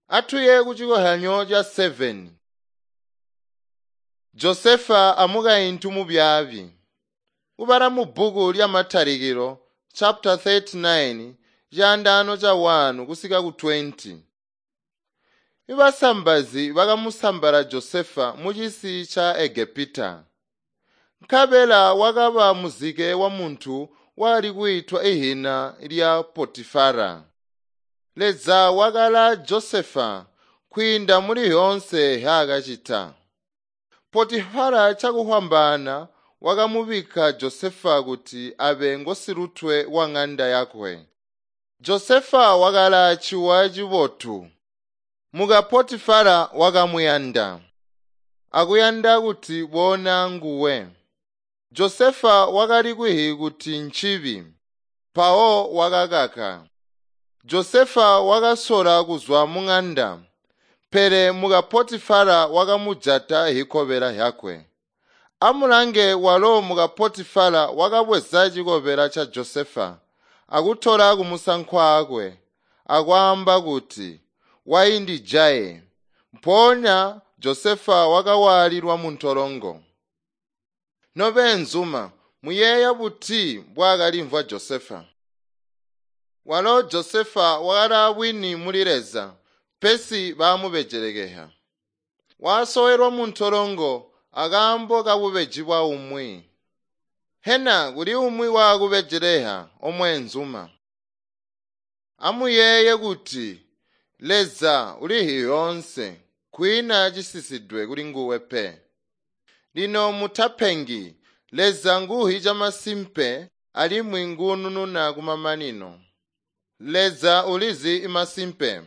Atuye kucikozyanyo ca 7. Josefa amukaintu mubyaabi. Kubala mu bbuku lya Matalikilo chapter 39 caandaano ca 1 kusika ku 20. Ibasambazi bakamusambala Josefa mucisi ca Egepita. Nkabela wakaba muzike wa muntu wali kwiitwa ihina lya Potifara. Leza wakala Josefa kwiinda muli yoonse yaakacita. Potifara cakuhwambaana wakamubikka Josefa kuti abe ngosilutwe wa ng'anda yakwe. Josefa wakala ciwa cibotu. Muka Potifara wakamuyanda, akuyanda kuti boona nguwe. Josefa wakali kwihi kuti ncibi, mpawo wakakaka. Josefa wakasola kuzwa mung'anda, pele muka Potifara wakamujata hikobela yakwe. Amulange walo muka Potifara wakabweza cikobela ca Josefa akutola kumusankwaakwe akwaamba kuti, "Waindijaye." Mpoonya Josefa wakawaalilwa muntolongo. Nobeenzuma, muyeeya buti mbwaakalimvwa Josefa? Walo Josefa wakali bwini muli Leza, pesi baamubejelekeha. Wasowelwa muntolongo akaambo kabubeji bwa umwi. Hena kuli umwi waakubejeleha omweenzuma? Amuyeeye kuti Leza ulihi yoonse, kwiina cisisidwe kuli nguwe pe. Lino mutapengi, Leza nguhi camasimpe alimwi nguunununa kumamanino. Leza ulizi imasimpe.